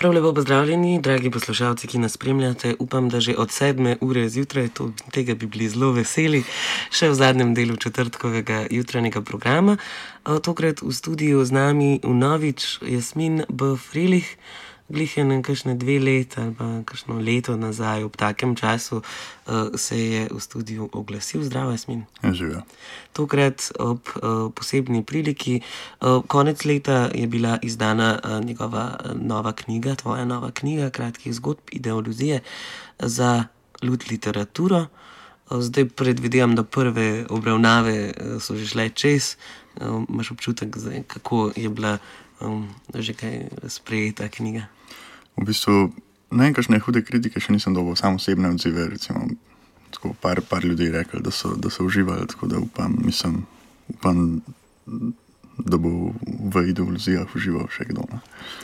Prav lepo pozdravljeni, dragi poslušalci, ki nas spremljate. Upam, da že od 7. ure zjutraj, tega bi bili zelo veseli, še v zadnjem delu četrtkovega jutranjega programa. Tokrat v studiu z nami vnovič Jasmin B. Frilih. Glih je kakšne 2 leta ali pa kakšno leto nazaj, ob takem času se je v studiu oglasil. Zdravo, Jasmin. Živijo. Tokrat ob posebni priliki. Konec leta je bila izdana njegova nova knjiga, tvoja nova knjiga kratkih zgodb Ideoluzije za lud literaturo. Zdaj predvidevam, da prve obravnave so že šle čez. Imaš občutek, kako je bila že kaj sprejeta knjiga? V bistvu, kakšne hude kritike še nisem dobil, samo osebne odzive, recimo, tako par ljudi rekli, da so uživali, tako da upam, da bo v Ideoluzijah užival še kdo.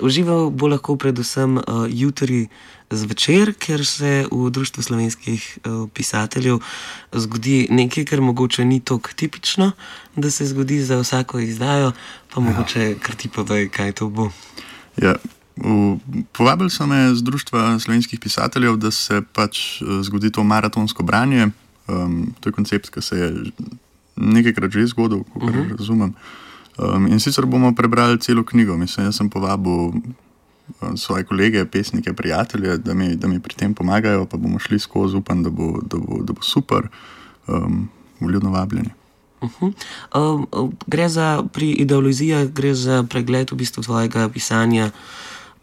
Užival bo lahko predvsem jutri zvečer, ker se v Društvu slovenskih pisateljev zgodi nekaj, kar mogoče ni tako tipično, da se zgodi za vsako izdajo, pa mogoče kar ti povej, kaj to bo. Ja, povabili so me z Društva slovenskih pisateljev, da se pač zgodi to maratonsko branje. To je koncept, ki se je nekajkrat že zgodil, kakor razumem. In sicer bomo prebrali celo knjigo. Mislim, jaz sem povabil svoje kolege, pesnike, prijatelje, da mi pri tem pomagajo, pa bomo šli skozi, upam, da bo super. Vljudno vabljeni. Pri Ideoluzijah gre za pregled v bistvu tvojega pisanja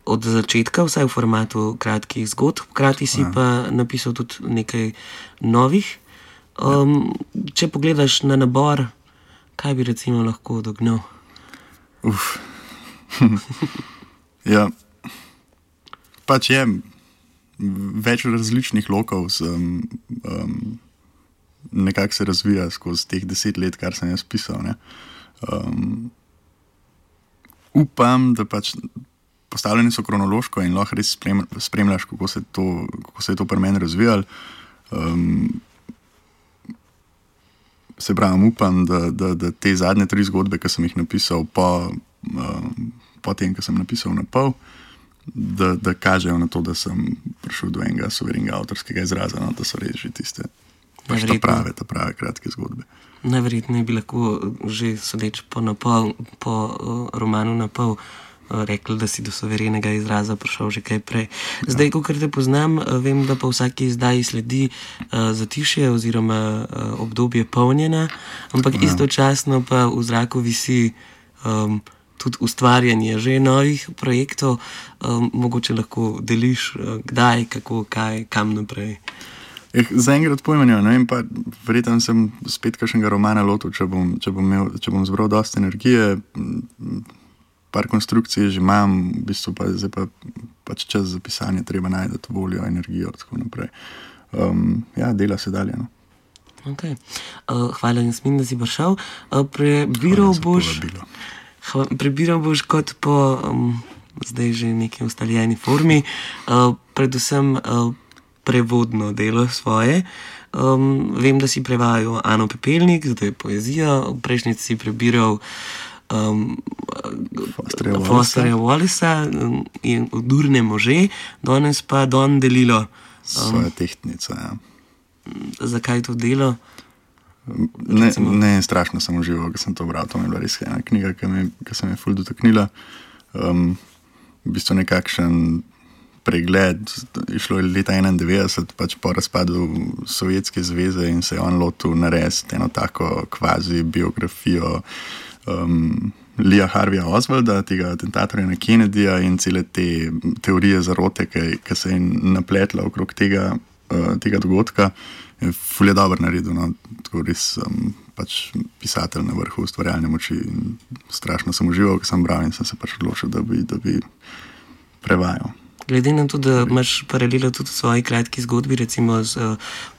od začetka, vsaj v formatu kratkih zgodb. Hkrati si pa napisal tudi nekaj novih. Če pogledaš na nabor, kaj bi recimo lahko dognal? Ja, pač je več različnih lokov, nekako se razvija skozi teh 10 let, kar sem jaz pisal. Upam, da pač postavljeni so kronološko in lahko res spremljaš, kako se je to pri meni razvijalo. Se pravim, upam, da te zadnje 3 zgodbe, ki sem jih napisal po tem, ki sem napisal na pol, da kažejo na to, da sem prišel do enega suverenega avtorskega izraza, da so res že tiste ta prave kratke zgodbe. Najverjetneje bi lahko že sodeč po romanu na pol rekli, da si do suverenega izraza prišel že kaj prej. Zdaj, kakor te poznam, vem, da pa vsaki izdaji sledi zatišje oziroma obdobje polnjena, ampak istočasno pa v zraku visi tudi ustvarjanje že novih projektov. Mogoče lahko deliš kdaj, kako, kaj, kam naprej. Zaenkrat pojma ne vem, pa verjetno sem spet kakšnega romana lotil, če bom zbral dosti energije. Par konstrukcij že imam, v bistvu pa zdaj pač čas za pisanje, treba najti voljo, energijo, tako naprej. Dela se dalje. Okay. Hvala, Jasmin, da si prišel. Prebiral boš kot po zdaj že neki ustaljeni formi, predvsem prevodno delo svoje. Vem, da si prevajal Ano Pepelnik, zdaj poezijo, prejšnjič si prebiral Fosterja Wallisa in Odurne može, danes pa Don DeLillo. Svoja tehtnica, ja. Zakaj to delo? Ne, strašno sem užival, ko sem to bral. To mi je bila res ena knjiga, ki se mi je ful dotaknila. V bistvu nekakšen pregled, išlo je leta 1991, pač po razpadu Sovjetske zveze, in se je on lotil narediti eno tako kvazi biografijo Leeja Harveyja Oswalda, tega atentatorja na Kennedyja, in cele te teorije zarote, ki se je napletla okrog tega dogodka. Ful je dobro naredil, tako res pač pisatelj na vrhu ustvarjalne moči. Strašno sem užival, ko sem bral, in sem se pač odločil, da bi prevajal. Glede na to, da imaš paralelo tudi v svoji kratki zgodbi, recimo s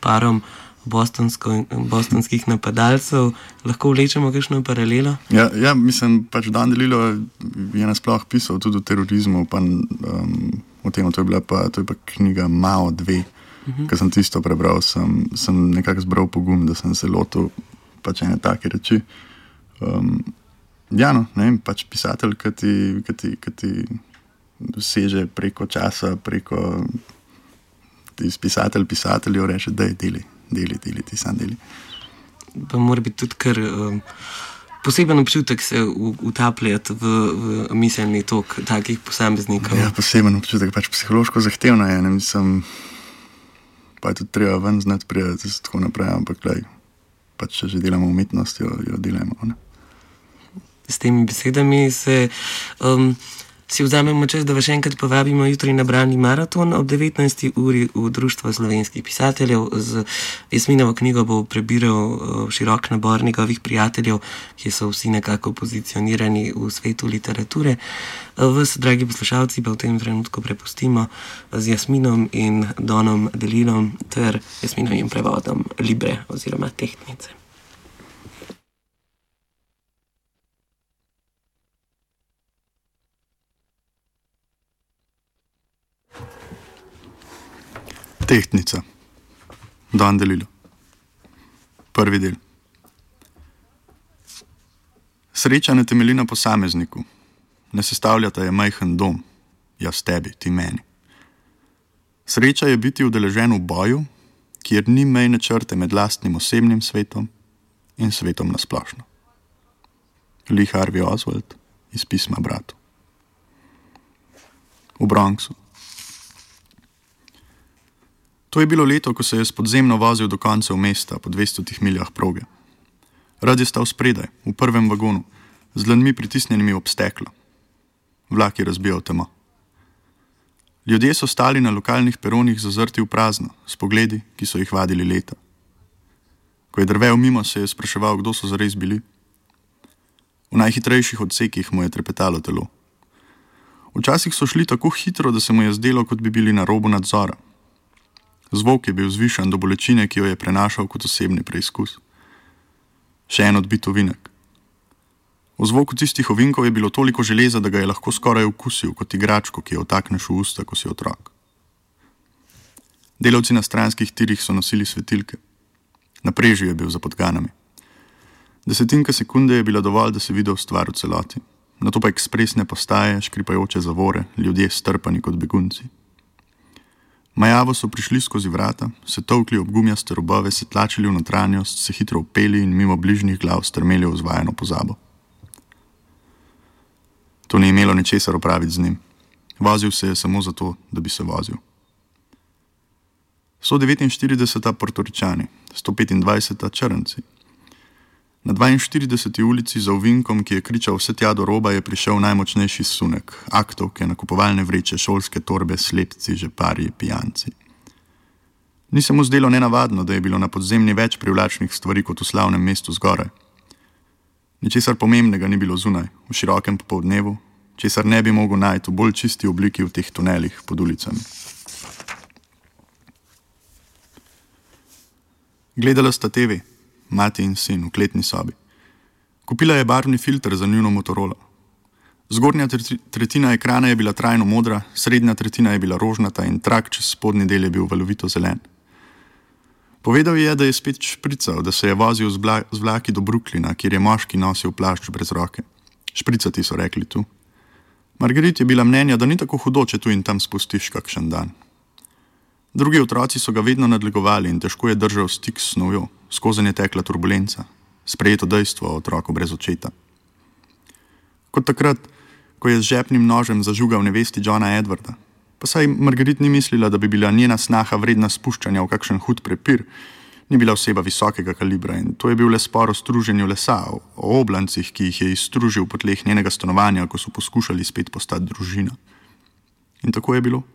parom bostonskih napadalcev, lahko vlečemo kakšno paralelo? Ja, mislim, pač Don DeLillo je nasploh pisal tudi o terorizmu, pa o tem, to je pa knjiga Mao 2, ko sem tisto prebral, sem nekako zbral pogum, da sem se lotil pač ene take reči. Ne vem, pač pisatelj, ki ti doseže preko časa, preko pisateljev reče, da je deli, ti sam deli. Pa mora biti tudi kar poseben občutek se utapljati v miselni tok takih posameznikov. Ja, poseben občutek, pač psihološko zahtevno je, mislim, pa je tudi treba ven znati prijeti, tako naprej, ampak pač če že delamo umetnost, jo delamo, ne. S temi besedami si vzamemo čas, da vas še enkrat povabimo jutri na bralni maraton ob 19. uri v Društvo slovenskih pisateljev. Z Jasminovo knjigo bo prebiral širok nabor njegovih prijateljev, ki so vsi nekako pozicionirani v svetu literature. Vas, dragi poslušalci, pa v tem trenutku prepustimo z Jasminom in Donom Delilom ter Jasminovim prevodom Libre oziroma Tehtnice. Tehtnica. Don Delilo. Prvi del. Sreča ne temelji na posamezniku. Ne sestavljata je majhen dom. Jaz tebi, ti meni. Sreča je biti udeležen v boju, kjer ni mejne črte med lastnim osebnim svetom in svetom nasplošno. Lee Harvey Oswald iz pisma bratu. V Bronxu. To je bilo leto, ko se je s podzemno vozil do koncev mesta po 200 miljah proge. Rad je stal spredaj, v prvem vagonu, z dlanmi pritisnjenimi ob steklo. Vlak je razbijal temo. Ljudje so stali na lokalnih peronih zazrti v prazno, s pogledi, ki so jih vadili leta. Ko je drvel mimo, se je spraševal, kdo so zares bili. V najhitrejših odsekih mu je trepetalo telo. Včasih so šli tako hitro, da se mu je zdelo, kot bi bili na robu nadzora. Zvok je bil zvišan do bolečine, ki jo je prenašal kot osebni preizkus. Še en odbit ovinek. V zvoku tistih ovinkov je bilo toliko železa, da ga je lahko skoraj okusil kot igračko, ki jo vtakneš v usta, ko si otrok. Delavci na stranskih tirih so nosili svetilke. Na preži je bil za podganami. 10 sekunde je bila dovolj, da si videl stvar v celoti. Nato pa ekspresne postaje, škripajoče zavore, ljudje strpani kot begunci. Majavo so prišli skozi vrata, se tolkli ob gumijaste robove, se tlačili v notranjost, se hitro upeli in mimo bližnjih glav strmeli v zvajeno pozabo. To ni imelo ničesar opraviti z njim. Vozil se je samo zato, da bi se vozil. 149. Portoričani, 125. Črnci. Na 42. ulici za ovinkom, ki je kričal vse tja do roba, je prišel najmočnejši sunek, aktovke, nakupovalne vreče, šolske torbe, slepci, žeparji, pijanci. Ni se mu zdelo nenavadno, da je bilo na podzemlji več privlačnih stvari kot v slavnem mestu zgoraj. Ničesar pomembnega ni bilo zunaj, v širokem popoldnevu, česar ne bi mogel najti v bolj čisti obliki v teh tunelih pod ulicami. Gledala sta TV. Mati in sin v kletni sobi. Kupila je barvni filter za njuno Motorola. Zgornja tretjina ekrana je bila trajno modra, srednja tretjina je bila rožnata in trak čez spodnji del je bil valovito zelen. Povedal je, da je spet šprical, da se je vozil z vlaki do Brooklyna, kjer je moški nosil plašč brez roke. Špricati so rekli tu. Margaret je bila mnenja, da ni tako hudo, če tu in tam spustiš kakšen dan. Drugi otroci so ga vedno nadlegovali in težko je držal stik s snovjo, skozenj je tekla turbulenca, sprejeto dejstvo o otroku brez očeta. Kot takrat, ko je z žepnim nožem zažugal nevesti Johna Edwarda, pa saj Margaret ni mislila, da bi bila njena snaha vredna spuščanja v kakšen hud prepir, ni bila oseba visokega kalibra in to je bil le spor o struženju lesa, o oblancih, ki jih je izstružil po tleh njenega stanovanja, ko so poskušali spet postati družina. In tako je bilo.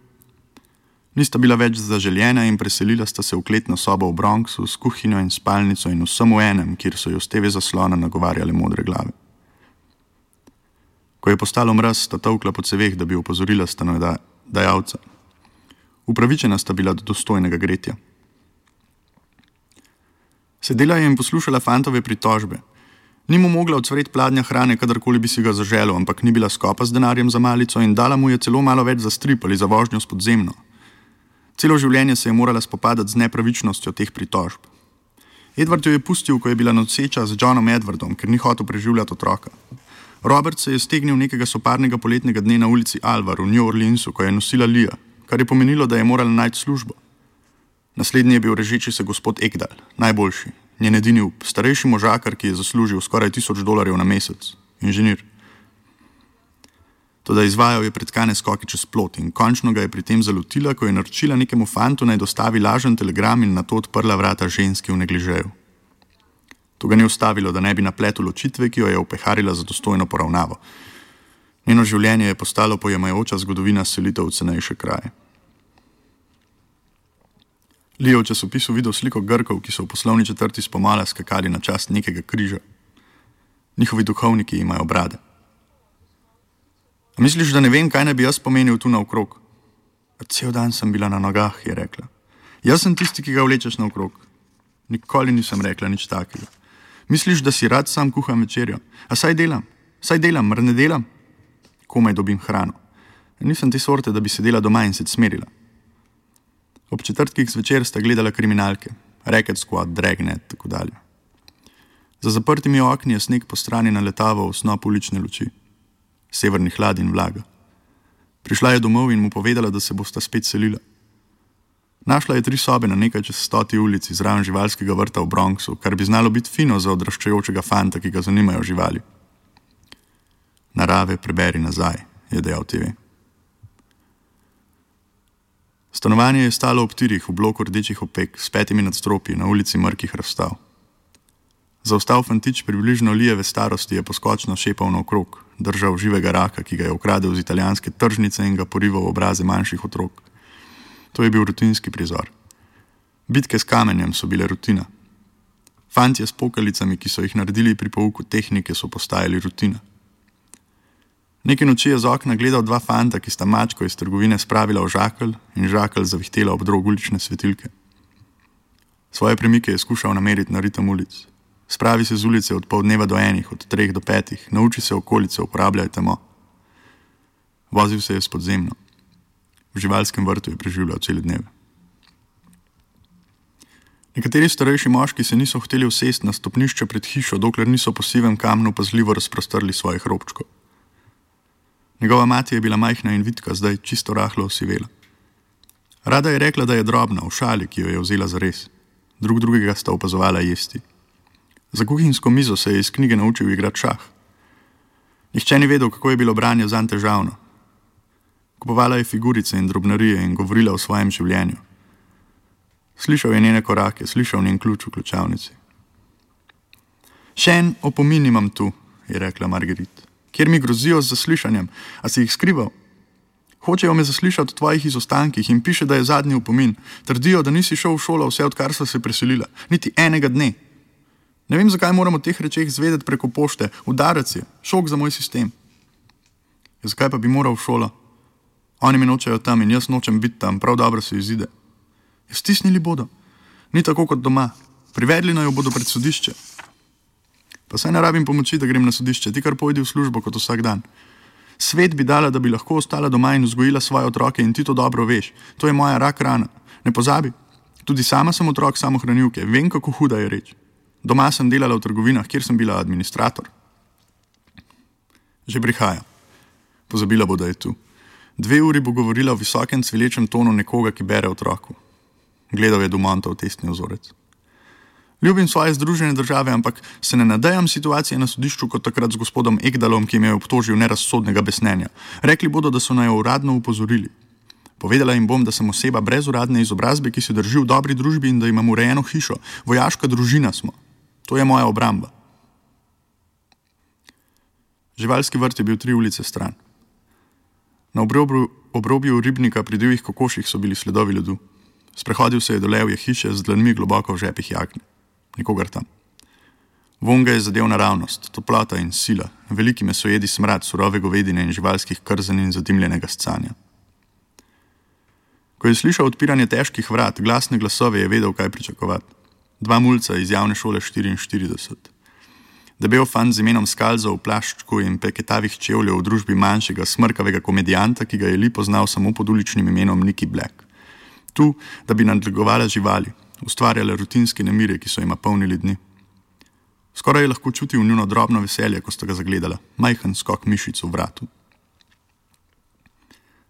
Nista bila več zaželjena in preselila sta se v kletno sobo v Bronxu s kuhinjo in spalnico in vsem v enem, kjer so jo z TV zaslona nagovarjale modre glave. Ko je postalo mraz, sta tolkla po ceveh, da bi opozorila stanodajalca. Upravičena sta bila do dostojnega gretja. Sedela je in poslušala fantove pritožbe. Ni mu mogla odsvreti pladnja hrane, kadarkoli bi si ga zaželel, ampak ni bila skopa z denarjem za malico in dala mu je celo malo več za strip ali za vožnjo s podzemno. Celo življenje se je morala spopadati z nepravičnostjo teh pritožb. Edward jo je pustil, ko je bila noseča z Johnom Edwardom, ker ni hotel preživljati otroka. Robert se je stegnil nekega soparnega poletnega dne na ulici Alvar v New Orleansu, ko je nosila Lija, kar je pomenilo, da je morala najti službo. Naslednji je bil režeči se gospod Ekdal, najboljši, njen edini up, starejši možakar, ki je zaslužil skoraj $1000 na mesec, inženir. Toda izvajal je pretkane skoke čez plot in končno ga je pri tem zalotila, ko je naročila nekemu fantu naj dostavi lažen telegram in nato odprla vrata ženski v negližeju. To ga ni ustavilo, da ne bi napletel ločitve, ki jo je opeharila za dostojno poravnavo. Njeno življenje je postalo pojemajoča zgodovina selitev v cenejše kraje. Lee je v časopisu videl sliko Grkov, ki so v poslovni četrti spomala skakali na čast nekega križa. Njihovi duhovniki imajo brade. A misliš, da ne vem, kaj naj bi jaz pomenil tu naokrog? Cel dan sem bila na nogah, je rekla. Jaz sem tisti, ki ga vlečeš naokrog. Nikoli nisem rekla nič takega. Misliš, da si rad sam kuham večerjo? A saj delam, mar ne delam? Komaj dobim hrano. Nisem te sorte, da bi sedela doma in se smerila. Ob četrtkih zvečer sta gledala kriminalke, Racket Squad, Dragnet, tako dalje. Za zaprtimi okni je sneg po strani naletaval v snop ulične luči. Severni hlad in vlaga. Prišla je domov in mu povedala, da se bosta spet selila. Našla je 3 sobe na nekaj čez 100. ulici zraven živalskega vrta v Bronxu, kar bi znalo biti fino za odraščajočega fanta, ki ga zanimajo živali. Narave preberi nazaj, je dejal TV. Stanovanje je stalo ob tirih v bloku rdečih opek s 5 nadstropji na ulici mrkih razstav. Zaostal fantič približno Lijeve starosti je poskočno šepal naokrog, držal živega raka, ki ga je ukradel z italijanske tržnice in ga porival v obraze manjših otrok. To je bil rutinski prizor. Bitke s kamenjem so bile rutina. Fantje s pokalicami, ki so jih naredili pri pouku tehnike, so postajali rutina. Neke noči je z okna gledal 2 fanta, ki sta mačko iz trgovine spravila v žakelj in žakelj zavihtela ob drog ulične svetilke. Svoje premike je skušal nameriti na ritem ulic. Spravi se z ulice od pol dneva do 1, od 3 do 5, nauči se okolice, uporabljaj temo. Vozil se je s podzemno. V živalskem vrtu je preživljal cele dneve. Nekateri starejši moški se niso hteli usesti na stopnišče pred hišo, dokler niso po sivem kamnu pazljivo razprostrli svojih robčkov. Njegova mati je bila majhna in vitka, zdaj čisto rahlo osivela. Rada je rekla, da je drobna, v šali, ki jo je vzela zares. Drugega sta opazovala jesti. Za kuhinjsko mizo se je iz knjige naučil igrati šah. Nihče ni vedel, kako je bilo branje zanj težavno. Kupovala je figurice in drobnarije in govorila o svojem življenju. Slišal je njene korake, slišal njen ključ v ključavnici. Še en opomin imam tu, je rekla Marguerite, kjer mi grozijo z zaslišanjem. A si jih skrival? Hočejo me zaslišati o tvojih izostankih in piše, da je zadnji opomin. Trdijo, da nisi šel v šolo vse, odkar sta se preselila. Niti enega dne. Ne vem, zakaj moram o teh rečeh zvedeti preko pošte. Udarec je, šok za moj sistem. Ja, zakaj pa bi moral v šolo? Oni me nočejo tam in jaz nočem biti tam, prav dobro se izide. Ja, stisnili bodo. Ni tako kot doma. Privedli naj jo bodo pred sodišče. Pa saj ne rabim pomoči, da grem na sodišče, ti kar pojdi v službo kot vsak dan. Svet bi dala, da bi lahko ostala doma in vzgojila svoje otroke in ti to dobro veš. To je moja rak rana. Ne pozabi. Tudi sama sem otrok samohranilke. Vem, kako huda je reč. Doma sem delala v trgovinah, kjer sem bila administrator. Že prihaja. Pozabila bo, da je tu. 2 uri bo govorila v visokem cvilečem tonu nekoga, ki bere otroku. Gledal je Dumontov testni vzorec. Ljubim svoje Združene države, ampak se ne nadejam situacije na sodišču kot takrat z gospodom Ekdalom, ki me je obtožil nerazsodnega besnenja. Rekli bodo, da so naj uradno upozorili. Povedala jim bom, da sem oseba brez uradne izobrazbe, ki se drži v dobri družbi in da imam urejeno hišo. Vojaška družina smo. To je moja obramba. Živalski vrt je bil 3 ulice stran. Na obrobju ribnika pri divjih kokoših so bili sledovi ledu. Sprehodil se je do levje hiše z dlanmi globoko v žepih jakne. Nikogar tam. Vonj ga je zadev naravnost, toplota in sila, veliki mesojedi smrad surove govedine in živalskih krzen in zadimljenega scanja. Ko je slišal odpiranje težkih vrat, glasne glasove, je vedel, kaj pričakovati. 2 mulca iz javne šole 44. Debel fant z imenom Skalzo v plaščku in peketavih čevljev v družbi manjšega, smrkavega komedijanta, ki ga je Lee poznal samo pod uličnim imenom Nicky Black. Tu, da bi nadlegovala živali, ustvarjala rutinske nemire, ki so jima polnili dni. Skoraj je lahko čutil njuno drobno veselje, ko sta ga zagledala, majhen skok mišic v vratu.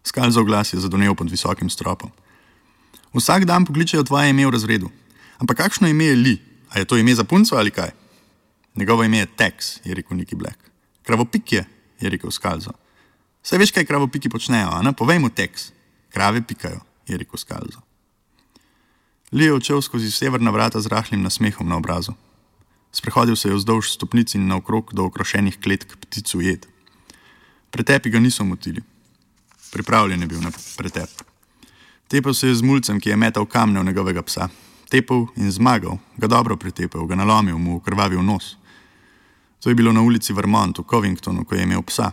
Skalzov glas je zadonel pod visokim stropom. Vsak dan pokličejo tvoje ime v razredu. Ampak kakšno ime je Lee? A je to ime za punco ali kaj? Njegovo ime je Tex, je rekel Nicky Black. Kravopik je rekel Skalzo. Saj veš, kaj kravopiki počnejo, a ne? Povej mu, Tex. Krave pikajo, je rekel Skalzo. Lee je odšel skozi severna vrata z rahlim nasmehom na obrazu. Sprehodil se je vzdolž stopnic in naokrog do okrošenih kletk pticu jed. Pretepi ga niso motili. Pripravljen je bil na pretep. Tepel se je z mulcem, ki je metal kamne v njegovega psa. Tepel in zmagal, ga dobro pretepel, ga nalomil, mu ukrvavil nos. To je bilo na ulici Vermont v Covingtonu, ko je imel psa.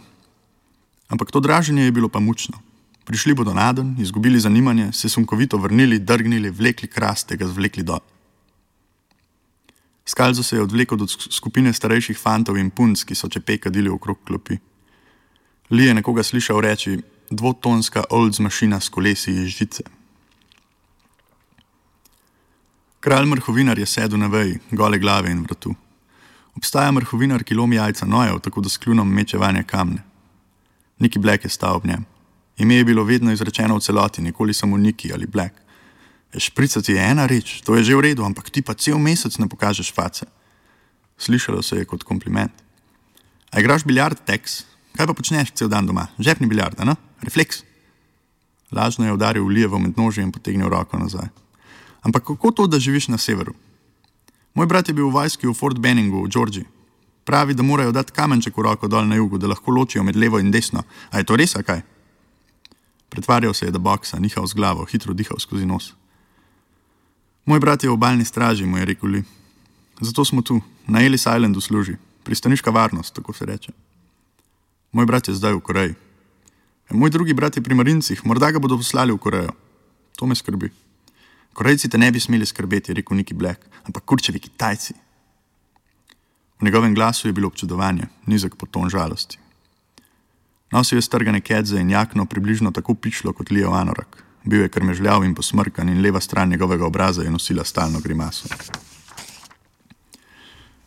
Ampak to draženje je bilo pa mučno. Prišli bodo naden, izgubili zanimanje, se sunkovito vrnili, drgnili, vlekli krast, ga zvlekli dol. Skalzo se je odvlekel do skupine starejših fantov in punc, ki so čepe kadili okrog klopi. Lee je nekoga slišal reči: dvotonska Olds mašina s kolesi iz žice. Kralj mrhovinar je sedel na veji, gole glave in vratu. Obstaja mrhovinar, ki lomi jajca nojev, tako da s kljunom meče vanje kamne. Nicky Black je stal ob njem. Ime je bilo vedno izrečeno v celoti, nikoli samo Nicky ali Black. Špricati je ena reč, to je že v redu, ampak ti pa cel mesec ne pokažeš face. Slišalo se je kot kompliment. A igraš biljard, Tex? Kaj pa počneš cel dan doma? Žepni biljard, ne? Refleks. Lažno je udaril v Lijevo med nože in potegnil roko nazaj. Ampak kako to, da živiš na severu? Moj brat je bil v vojski v Fort Benningu v Georgiji. Pravi, da morajo dati kamenček v roko dol na jugu, da lahko ločijo med levo in desno. A je to res, a kaj? Pretvarjal se je, da boksa, nihal z glavo, hitro dihal skozi nos. Moj brat je v obalni straži, mu je rekel Lee. Zato smo tu, na Ellis Islandu služi. Pristaniška varnost, tako se reče. Moj brat je zdaj v Koreji. Moj drugi brat je pri Marincih, morda ga bodo poslali v Korejo. To me skrbi. Korejci te ne bi smeli skrbeti, je rekel Nicky Black, ampak kurčevi Kitajci. V njegovem glasu je bilo občudovanje, nizek poton žalosti. Nosil je strgane kedze in jakno približno tako pičlo kot Leejev anorak. Bil je krmežljav in posmrkan in leva stran njegovega obraza je nosila stalno grimaso.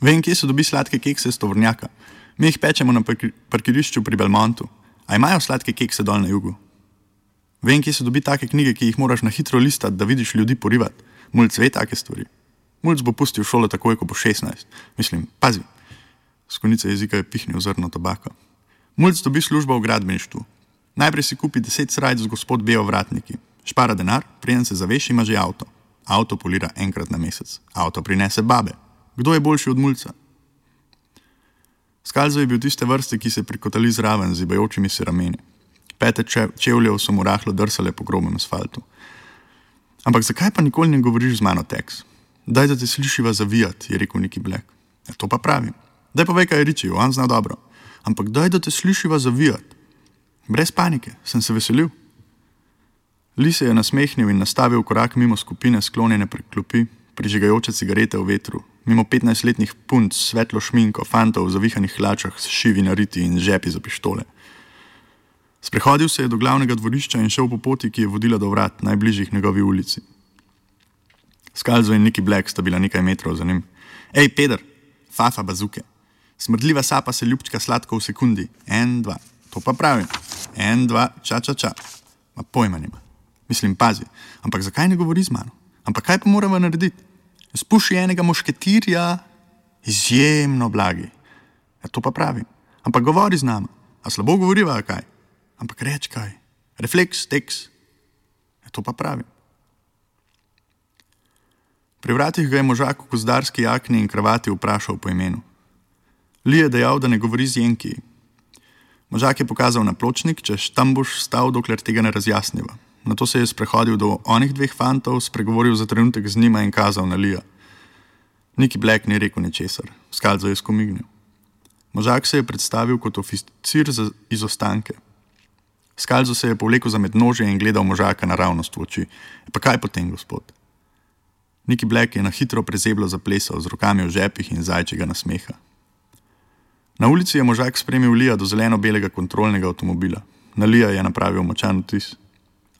Vem, kje se dobi sladke kekse s tovornjaka. Mi jih pečemo na parkirišču pri Belmontu. A imajo sladke kekse dol na jugu? Vem, kje se dobi take knjige, ki jih moraš na hitro listati, da vidiš ljudi porivati. Mulc ve take stvari. Mulc bo pustil šolo takoj, ko bo 16. Mislim, pazi. S konice jezika je pihnil zrno tobaka. Mulc dobi službo v gradbeništvu. Najprej si kupi 10 srajc z gospod B. ovratniki. Špara denar, preden se zaveš, ima že avto. Avto polira enkrat na mesec. Avto prinese babe. Kdo je boljši od mulca? Skalzo je bil tiste vrste, ki se prikotali zraven, zibajočimi se rameni. Pete čevljev so mu rahlo drsale po grobem asfaltu. Ampak zakaj pa nikoli ne govoriš z mano, Tex? Daj, da te slišiva zavijati, je rekel Nicky Black. Ja, to pa pravim. Daj povej, kaj je Richie, on zna dobro. Ampak daj, da te slišiva zavijati. Brez panike, sem se veselil. Lee se je nasmehnil in nastavil korak mimo skupine sklonjene prek klopi, prižigajoče cigarete v vetru, mimo 15-letnih punc s svetlo šminko, fantov v zavihanih hlačah s šivi nariti in žepi za pištole. Sprehodil se je do glavnega dvorišča in šel po poti, ki je vodila do vrat, najbližjih njegovi ulici. Skalzo in Nicky Black sta bila nekaj metrov za njim. Ej, peder, fafa bazuke. Smrdljiva sapa se ljubčka sladko v sekundi. 1, 2. To pa pravim. 1, 2, ča. Ma pojma nima. Mislim, pazi. Ampak zakaj ne govori z mano? Ampak kaj pa moramo narediti? Spuši enega mošketirja, izjemno blagi. Ja, to pa pravim. Ampak govori z nama. A slabo govoriva, a kaj? Ampak reč kaj. Refleks, Tex. Ja, to pa pravim. Pri vratih ga je možak v gozdarski jakni in kravati vprašal po imenu. Lee je dejal, da ne govori z Jenkiji. Možak je pokazal na pločnik, češ tam boš stal, dokler tega ne razjasniva. Nato se je sprehodil do onih dveh fantov, spregovoril za trenutek z njima in kazal na Leeja. Nicky Black ni rekel ničesar. Skalzo je skomignil. Možak se je predstavil kot oficir za izostanke. Skalzo se je povlekel za mednožje in gledal možaka naravnost v oči. Pa kaj potem, gospod? Nicky Black je na hitro prezeblo zaplesal z rokami v žepih in zajčega nasmeha. Na ulici je možak spremil Leeja do zeleno-belega kontrolnega avtomobila. Na Leeja je napravil močan vtis.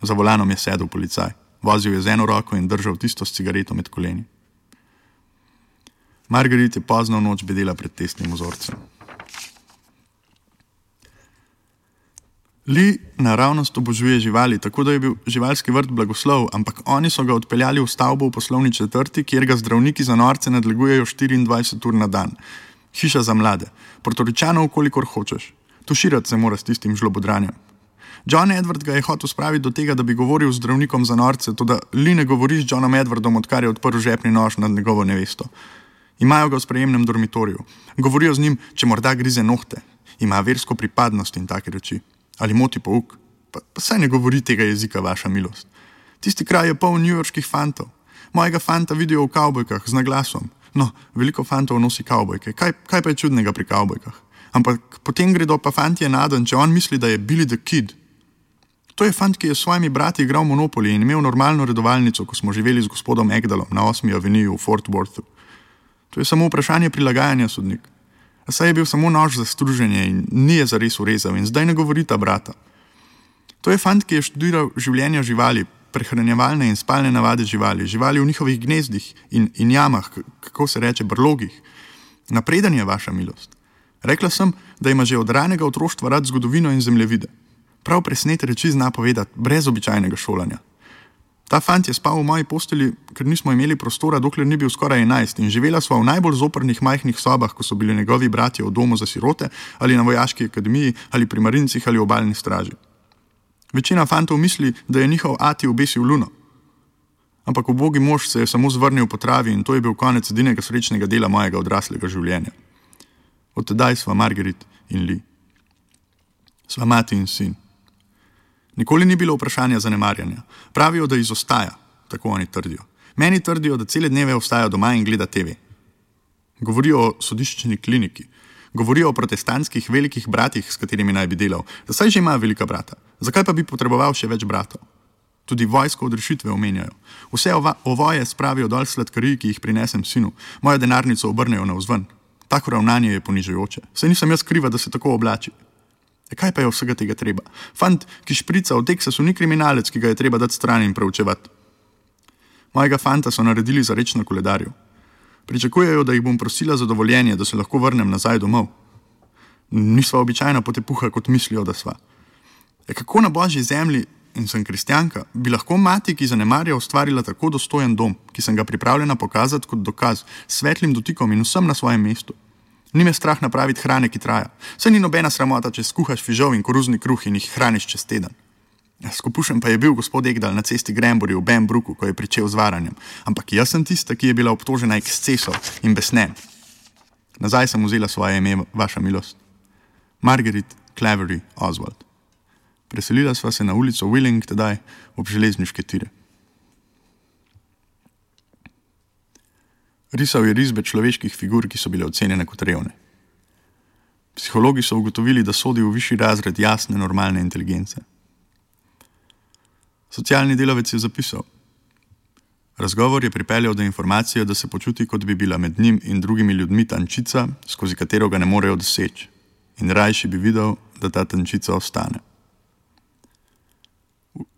Za volanom je sedel policaj. Vozil je z eno roko in držal tisto s cigareto med koleni. Margaret je pozno v noč bedela pred testnim vzorcem. Lee naravnost obožuje živali, tako da je bil živalski vrt blagoslov, ampak oni so ga odpeljali v stavbo v poslovni četrti, kjer ga zdravniki za norce nadlegujejo 24 ur na dan. Hiša za mlade. Portoričanov, kolikor hočeš. Tuširati se mora s tistim žlobodranjem. John Edward ga je hotel spraviti do tega, da bi govoril z zdravnikom za norce, toda Lee ne govori z Johnom Edwardom, odkar je odprl žepni nož nad njegovo nevesto. Imajo ga v sprejemnem dormitorju. Govorijo z njim, če morda grize nohte. Ima versko pripadnost in take reči. Ali moti pouk. Pa saj ne govori tega jezika, vaša milost. Tisti kraj je poln newyorških fantov. Mojega fanta vidijo v kavbojkah z naglasom. No, veliko fantov nosi kavbojke. Kaj pa je čudnega pri kavbojkah? Ampak potem gredo pa fantje naden, če on misli, da je Billy the Kid. To je fant, ki je s svojimi brati igral Monopoly in imel normalno redovalnico, ko smo živeli z gospodom Egdalom na 8. aveniju v Fort Worthu. To je samo vprašanje prilagajanja, sodnik. A saj je bil samo nož za struženje in ni je zares urezal in zdaj ne govori ta brata. To je fant, ki je študiral življenja živali, prehranjevalne in spalne navade živali, živali v njihovih gnezdih in jamah, kako se reče, brlogih. Napreden je, vaša milost. Rekla sem, da ima že od ranega otroštva rad zgodovino in zemljevide. Prav presnete reči zna povedati, brez običajnega šolanja. Ta fant je spal v moji posteli, ker nismo imeli prostora, dokler ni bil skoraj 11 in živela sva v najbolj zoprnih majhnih sobah, ko so bili njegovi bratje v domu za sirote ali na vojaški akademiji ali pri marincih ali obalni straži. Večina fantov misli, da je njihov ati obesil luno. Ampak ubogi mož se je samo zvrnil po travi in to je bil konec edinega srečnega dela mojega odraslega življenja. Od tedaj sva Margaret in Lee. Sva mati in sin. Nikoli ni bilo vprašanja zanemarjanja. Pravijo, da izostaja, tako oni trdijo. Meni trdijo, da cele dneve ostaja doma in gleda TV. Govorijo o sodiščni kliniki. Govorijo o protestantskih velikih bratih, s katerimi naj bi delal. Da saj že ima velika brata. Zakaj pa bi potreboval še več bratov? Tudi vojsko odrešitve omenjajo. Vse ovoje spravijo dol sladkarij, ki jih prinesem sinu. Mojo denarnico obrnejo navzven. Tako ravnanje je ponižujoče. Saj nisem jaz kriva, da se tako oblači. Kaj pa je vsega tega treba? Fant, ki šprica v Teksasu, ni kriminalec, ki ga je treba dati stran in preučevati. Mojega fanta so naredili za reč na koledarju. Pričakujejo, da jih bom prosila za dovoljenje, da se lahko vrnem nazaj domov. Nisva običajna potepuha, kot mislijo, da sva. Kako na božji zemlji, in sem kristjanka, bi lahko mati, ki zanemarja, ustvarila tako dostojen dom, ki sem ga pripravljena pokazati kot dokaz, s svetlim dotikom in vsem na svojem mestu. Ni me strah napraviti hrane, ki traja. Saj ni nobena sramota, če skuhaš fižol in koruzni kruh in jih hraniš čez teden. Skupušen pa je bil gospod Egdal na cesti Granbury v Benbrooku, ko je pričel z varanjem. Ampak jaz sem tista, ki je bila obtožena ekscesov in besnem. Nazaj sem vzela svoje ime, vaša milost. Margaret Clavery Oswald. Preselila sva se na ulico Willing, tedaj ob železniške tire. Risal je risbe človeških figur, ki so bile ocenjene kot revne. Psihologi so ugotovili, da sodi v višji razred jasne, normalne inteligence. Socialni delavec je zapisal. Razgovor je pripeljal do informacije, da se počuti, kot bi bila med njim in drugimi ljudmi tančica, skozi katero ga ne morejo doseči, in rajši bi videl, da ta tančica ostane.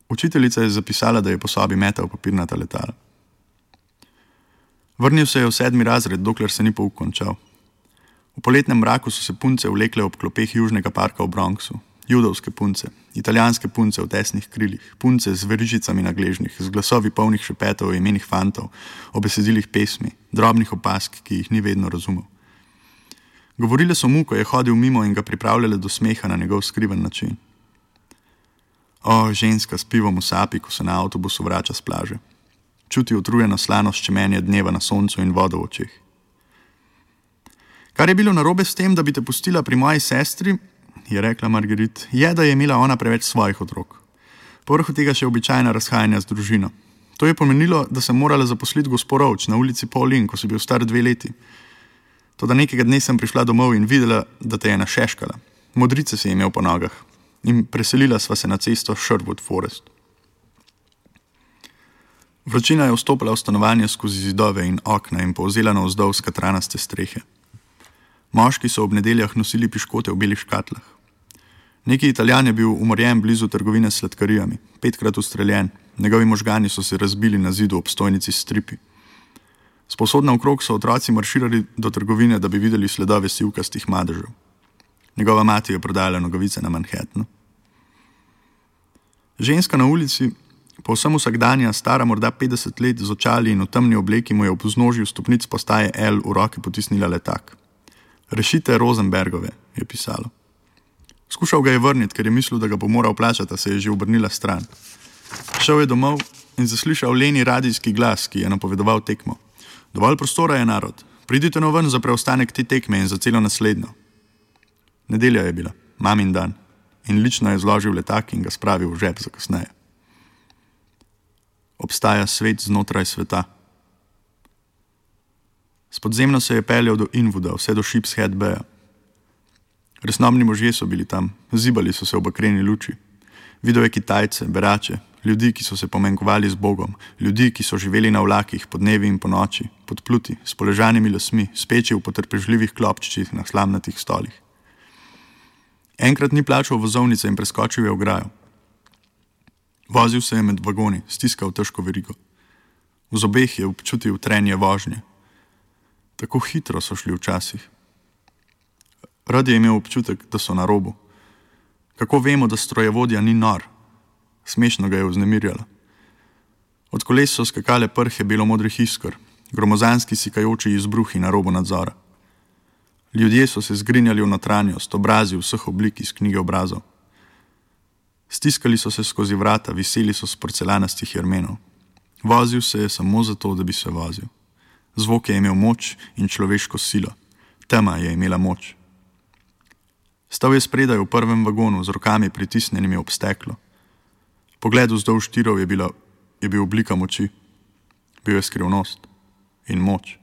Učiteljica je zapisala, da je po sobi metal papirnata letala. Vrnil se je v 7. razred, dokler se ni pouk končal. V poletnem mraku so se punce vlekle ob klopeh Južnega parka v Bronxu. Judovske punce, italijanske punce v tesnih krilih, punce z verižicami na gležnjih, z glasovi polnih šepetov o imenih fantov, o besedilih pesmi, drobnih opask, ki jih ni vedno razumel. Govorile so mu, ko je hodil mimo in ga pripravljale do smeha na njegov skriven način. O, ženska s pivom v sapi, ko se na avtobusu vrača s plaže. Čuti utrujeno slano ščemenje dneva na soncu in vodo v očeh. Kar je bilo narobe s tem, da bi te pustila pri moji sestri, je rekla Margaret, je, da je imela ona preveč svojih otrok. Povrhu tega še običajna razhajanja z družino. To je pomenilo, da sem morala zaposliti gospod Roach na ulici Pauline, ko si bil star 2 leti. Toda nekega dne sem prišla domov in videla, da te je našeškala. Modrice si imel po nogah. In preselila sva se na cesto Sherwood Forest. Vročina je vstopila v stanovanje skozi zidove in okna in povzela navzdol skatranaste strehe. Moški so ob nedeljah nosili piškote v belih škatlah. Neki Italijan je bil umorjen blizu trgovine s sladkarijami, 5-krat ustreljen, njegovi možgani so se razbili na zidu ob stojnici s stripi. Sposodna okrog so otroci marširali do trgovine, da bi videli sledove sivkastih madežev. Njegova mati je prodajala nogavice na Manhattanu. Ženska na ulici, povsem vsakdanja, stara morda 50 let, z očali in v temni obleki, mu je ob vznožju stopnic postaje L v roki potisnila letak. Rešite Rosenbergove, je pisalo. Skušal ga je vrniti, ker je mislil, da ga bo moral plačati, a se je že obrnila stran. Šel je domov in zaslišal leni radijski glas, ki je napovedoval tekmo. Dovolj prostora je, narod. Pridite no ven za preostanek te tekme in za celo naslednjo. Nedelja je bila, mamin dan, in lično je zložil letak in ga spravil v žep za kasneje. Obstaja svet znotraj sveta. S podzemno se je peljal do Inwooda, vse do Sheepshead Baya. Resnobni možje so bili tam, zibali so se v bakreni luči. Videl je Kitajce, berače, ljudi, ki so se pomenkovali z Bogom, ljudi, ki so živeli na vlakih, podnevi in ponoči, pod pluti, s poležanimi lasmi, speči v potrpežljivih klopčičih na slamnatih stolih. Enkrat ni plačal vozovnice in preskočil je ograjo. Vozil se je med vagoni, stiskal težko verigo. V zobeh je občutil trenje vožnje. Tako hitro so šli včasih. Rad je imel občutek, da so na robu. Kako vemo, da strojevodja ni nor? Smešno ga je vznemirjala. Od koles so skakale prhe belomodrih iskr, gromozanski sikajoči izbruhi na robu nadzora. Ljudje so se zgrinjali v notranjost, obrazi vseh oblik iz knjige obrazov. Stiskali so se skozi vrata, viseli so s porcelanastih jermenov. Vozil se je samo zato, da bi se vozil. Zvok je imel moč in človeško silo. Tema je imela moč. Stal je spredaj v prvem vagonu, z rokami pritisnjenimi ob steklo. Pogled vzdolž tirov je bil oblika moči. Bil je skrivnost in moč.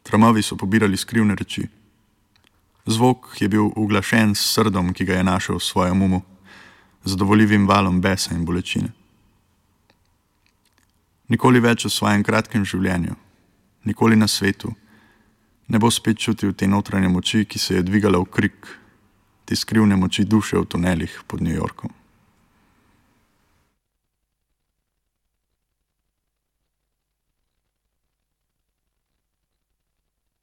Tramovi so pobirali skrivne reči. Zvok je bil uglašen s srdom, ki ga je našel v svojem umu, zadovoljivim valom besa in bolečine. Nikoli več v svojem kratkem življenju, nikoli na svetu, ne bo spet čutil te notranje moči, ki se je dvigala v krik, te skrivne moči duše v tunelih pod New Yorkom.